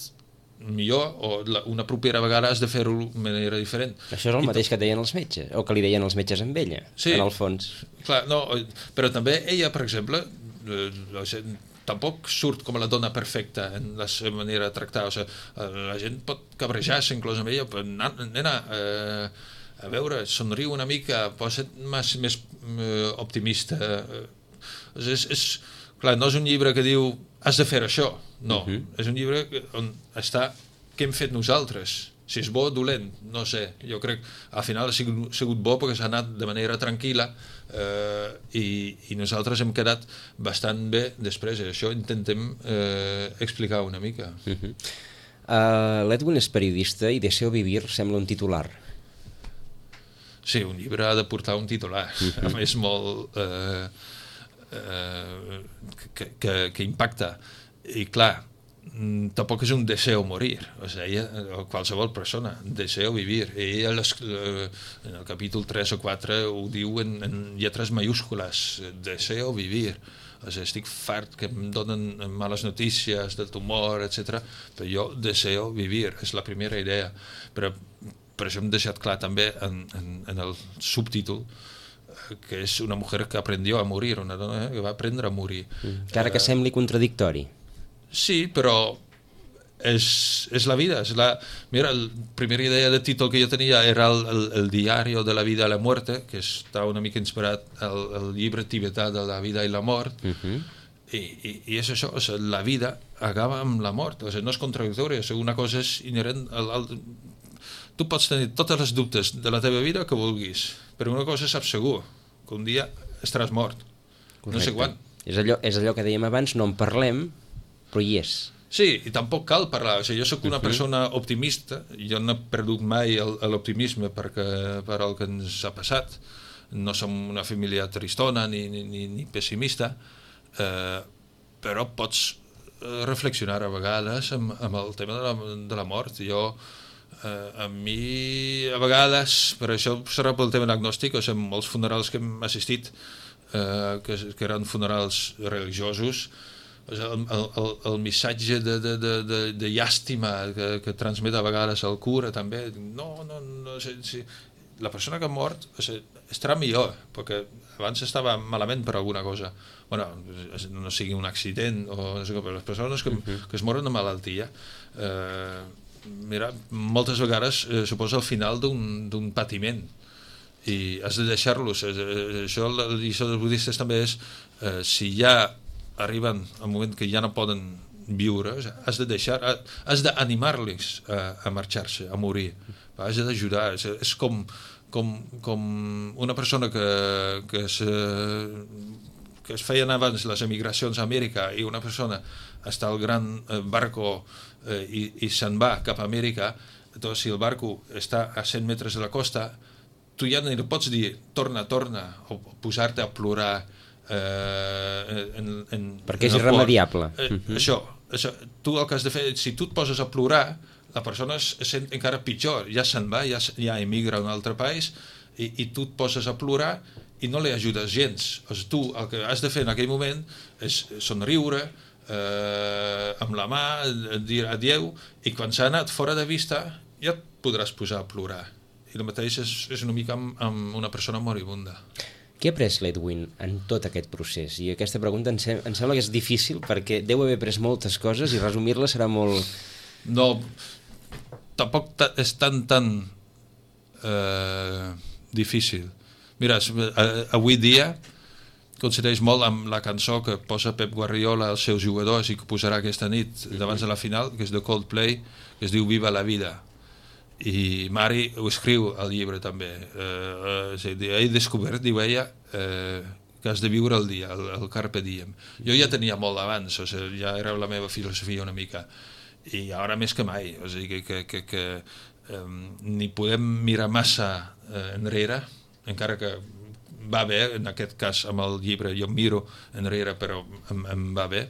C: millor o la, una propera vegada has de fer-ho de manera diferent.
B: Això és el
C: I
B: mateix que et deien els metges, o que li deien els metges amb ella,
C: sí,
B: en el fons.
C: Clar, no, però també ella, per exemple, eh, o sigui, tampoc surt com la dona perfecta en la seva manera de tractar. O sigui, la gent pot cabrejar-se inclús amb ella, però nena, eh, a veure, somriu una mica, posa't més, més eh, optimista. O sigui, és, és, clar, no és un llibre que diu has de fer això, no. Uh-huh. És un llibre on està què hem fet nosaltres. Si és bo o dolent, no sé. Jo crec que al final ha sigut, sigut bo perquè s'ha anat de manera tranquil·la eh, i, i nosaltres hem quedat bastant bé després. I això intentem eh, explicar una mica.
B: Uh-huh. uh, L'Edwin és periodista i Deseo vivir sembla un titular.
C: Sí, un llibre ha de portar un titular. Uh-huh. A més, molt... Eh, eh, que, que, que impacta. I clar, tampoc és un deseo morir, o sigui, ella, qualsevol persona, deseo vivir. I ella les, en el capítol tres o quatre ho diu en, en lletres mayúscules, deseo vivir. O sigui, estic fart que em donen males notícies del tumor, etcètera, però jo deseo vivir, és la primera idea. Però per això hem deixat clar també en, en, en el subtítol que és una mujer que aprendió a morir, una dona que va aprendre a morir.
B: Encara que sembli contradictori.
C: Sí, però és, és la vida. És la... Mira, la primera idea de títol que jo tenia era el, el, el diario de la vida a la muerte, que està una mica inspirat al, al llibre tibetà de la vida i la mort, uh-huh. I, i, i és això, o sigui, la vida acaba amb la mort, o sigui, no és contradictori, o sigui, una cosa és inherent al, al... Tu pots tenir totes les dubtes de la teva vida que vulguis, però una cosa saps segur, que un dia estaràs mort. Correcte. No sé quan.
B: És allò, és allò que dèiem abans, no en parlem, però hi és.
C: Sí, i tampoc cal parlar. O sigui, jo sóc una persona optimista, jo no he perdut mai l'optimisme perquè per el que ens ha passat. No som una família tristona ni, ni, ni pessimista, eh, però pots reflexionar a vegades amb, amb el tema de la, de la mort. Jo, eh, a mi, a vegades, per això serà pel tema diagnòstic, o sigui, molts funerals que hem assistit, eh, que, que eren funerals religiosos, el, el, el missatge de, de, de, de, de llàstima que, que transmet a vegades el cura també, no, no, no sé, sí, la persona que ha mort, o sigui, estarà millor, perquè abans estava malament per alguna cosa. Bueno, no sigui un accident, o no sé, però les persones que, uh-huh. que es moren de malaltia, eh, mira, moltes vegades eh, suposa el final d'un patiment, i has de deixar-los. Eh, això, la lliçó dels budistes també és, eh, si ja arriben al moment que ja no poden viure, o sigui, has de deixar, has d'animar-los a, a marxar-se, a morir, has d'ajudar. És, és com, com, com una persona que, que, se, que es feien abans les emigracions a Amèrica, i una persona està al gran barco eh, i, i se'n va cap a Amèrica. Doncs, si el barco està a cent metres de la costa, tu ja no pots dir torna, torna, o posar-te a plorar eh, en, en,
B: perquè
C: en
B: és irremediable.
C: Eh, uh-huh. això, això, tu el que has de fer, si tu et poses a plorar, la persona es sent encara pitjor, ja se'n va, ja, ja emigra a un altre país, i, i tu et poses a plorar i no li ajudes gens. O sigui, tu el que has de fer en aquell moment és somriure, eh, amb la mà, dir adeu, i quan s'ha anat fora de vista ja et podràs posar a plorar. I el mateix és, és una mica amb, amb una persona moribunda.
B: Què ha après l'Edwin en tot aquest procés? I aquesta pregunta em, sem em sembla que és difícil, perquè deu haver après moltes coses i resumir-la serà molt...
C: No, tampoc ta és tan, tan eh, difícil. Mira, avui dia coincideix molt amb la cançó que posa Pep Guardiola als seus jugadors i que posarà aquesta nit davant de la final, que és de Coldplay, que es diu Viva la vida. I Mari ho escriu al llibre també. Eh, eh, he descobert, diu ella, eh, que has de viure el dia, el, el carpe diem. Jo ja tenia molt abans, o sigui, ja era la meva filosofia una mica, i ara més que mai, o sigui, que, que, que eh, ni podem mirar massa eh, enrere, encara que va bé, en aquest cas amb el llibre jo miro enrere però em, em va bé.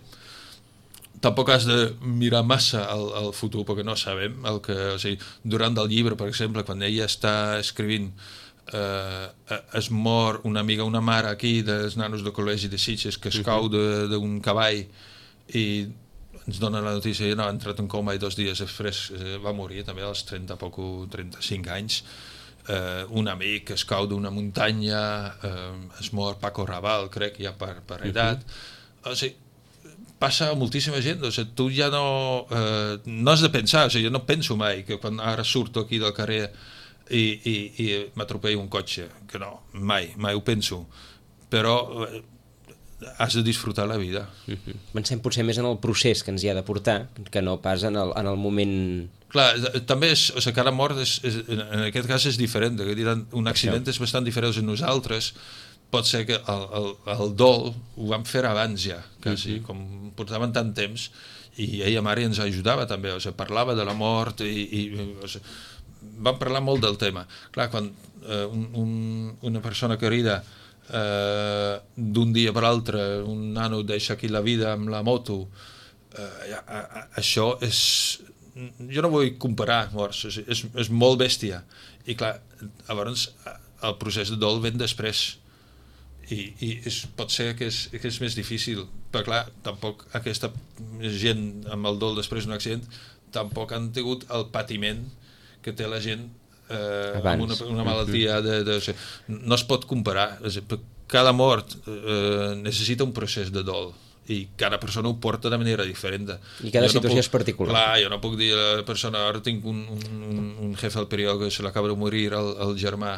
C: Tampoc has de mirar massa al, al futur perquè no sabem el que, o sigui, durant el llibre, per exemple, quan ella està escrivint eh, es mor una amiga, una mare aquí dels nanos del col·legi de Sitges que es cau d'un cavall i ens dona la notícia que no, ha entrat en coma i dos dies després eh, va morir també als trenta, poc, trenta-cinc anys. Eh, un amic que es cau d'una muntanya, eh, es mor Paco Raval, crec, ja per, per edat. Uh-huh. O sigui, passa a moltíssima gent, o sigui, tu ja no, eh, no has de pensar, o sigui, jo no penso mai que quan ara surto aquí del carrer i, i, i m'atropelli un cotxe, que no, mai, mai ho penso, però eh, has de disfrutar la vida.
B: Uh-huh. Pensem potser més en el procés que ens hi ha de portar, que no pas en el, en el moment...
C: Clar, també és, o sigui, cada mort és, és, en aquest cas és diferent, un accident és bastant diferent de nosaltres. Pot ser que el, el, el dol ho vam fer abans ja, quasi, uh-huh. com portaven tant temps, i ella Mari ens ajudava també, o sigui, parlava de la mort i, i o sigui, vam parlar molt del tema. Clar, quan eh, un, un, una persona querida eh, d'un dia per l'altre, un nano deixa aquí la vida amb la moto, eh, a, a, això és... Jo no vull comparar morts, és, és, és molt bèstia, i clar, llavors el procés de dol ven després, i, i és, pot ser que és, que és més difícil, però clar, tampoc aquesta gent amb el dol després d'un accident tampoc han tingut el patiment que té la gent eh, amb una, una malaltia de, de, de, no es pot comparar, cada mort eh, necessita un procés de dol i cada persona ho porta de manera diferent.
B: I cada
C: jo
B: situació
C: no puc,
B: és particular.
C: Clar, jo no puc dir a la persona, ara tinc un, un, un jefe al periòdic que se l'acaba de morir el, el germà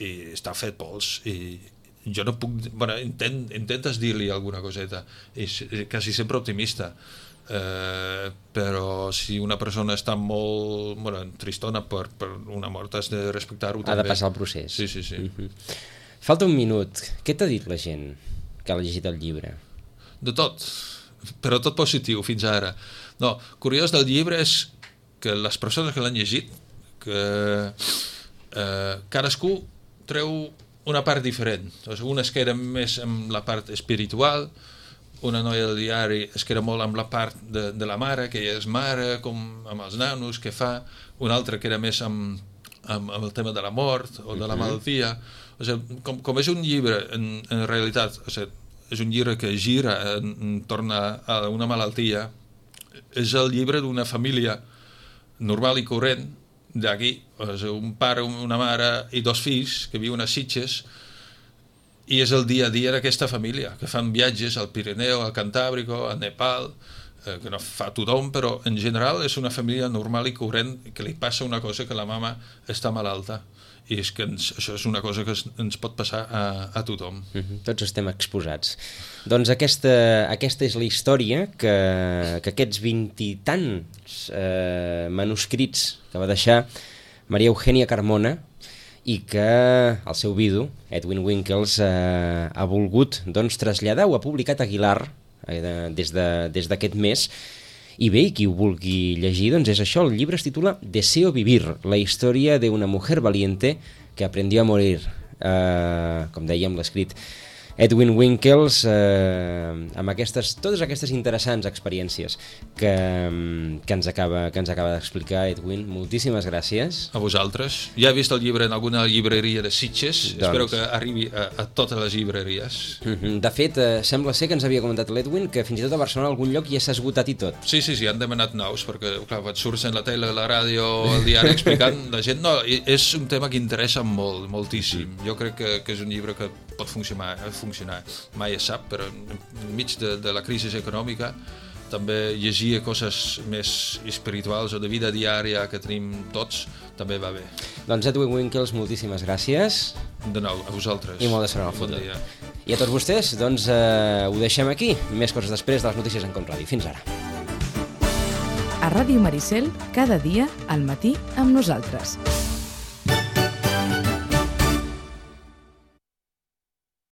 C: i està fet pols i jo no puc... Bueno, intent, intentes dir-li alguna coseta, és quasi sempre optimista, eh, però si una persona està molt bueno, tristona per, per una mort has de respectar-ho també.
B: Ha de passar el procés.
C: Sí, sí, sí.
B: Uh-huh. Falta un minut. Què t'ha dit la gent que ha llegit el llibre?
C: De tot, però tot positiu fins ara. No, curiós del llibre és que les persones que l'han llegit, que eh, cadascú treu una part diferent. O sigui, una es queda més amb la part espiritual, una noia del diari es queda molt amb la part de, de la mare, que ella és mare, com amb els nanos, que fa, una altra queda més amb, amb, amb el tema de la mort o de la malaltia. O sigui, com, com és un llibre, en, en realitat, o sigui, és un llibre que gira entorn a una malaltia, és el llibre d'una família normal i corrent d'aquí, és un pare, una mare i dos fills que viuen a Sitges, i és el dia a dia d'aquesta família, que fan viatges al Pirineu, al Cantàbrico, al Nepal, eh, que no fa tothom, però en general és una família normal i corrent, que li passa una cosa, que la mama està malalta. I és que ens, això és una cosa que es, ens pot passar a, a tothom.
B: Mm-hmm. Tots estem exposats. Doncs aquesta, aquesta és la història que, que aquests vint i tants eh, manuscrits que va deixar Maria Eugènia Carmona i que el seu vidu, Edwin Winkels, eh, ha volgut doncs, traslladar, ho ha publicat Aguilar eh, des d'aquest de, mes. I bé, qui ho vulgui llegir, doncs és això, el llibre es titula Deseo vivir, la història d'una mujer valiente que aprendió a morir, eh, com dèiem, l'escrit Edwin Winkels, eh, amb aquestes, totes aquestes interessants experiències que, que ens acaba, que ens acaba d'explicar Edwin. Moltíssimes gràcies.
C: A vosaltres. Ja he vist el llibre en alguna llibreria de Sitges, doncs... espero que arribi a, a totes les llibreries.
B: De fet, eh, sembla ser que ens havia comentat l'Edwin que fins i tot a Barcelona algun lloc ja s'ha esgotat i tot.
C: Sí, sí, sí, han demanat nous, perquè clar, et surts en la tele, la ràdio, el diari explicant la gent. No, és un tema que interessa molt, moltíssim. Jo crec que, que és un llibre que pot funcionar, funcionar. Mai es sap, però enmig de, de la crisi econòmica també llegir coses més espirituals o de vida diària que tenim tots també va bé.
B: Doncs Edwin Winkels, moltíssimes gràcies.
C: De nou, a vosaltres.
B: I molt de sort al futur.
C: Bon dia.
B: I a tots vostès, doncs eh, ho deixem aquí. Més coses després de les notícies en Com Ràdio. Fins ara.
A: A Ràdio Maricel, cada dia al matí amb nosaltres.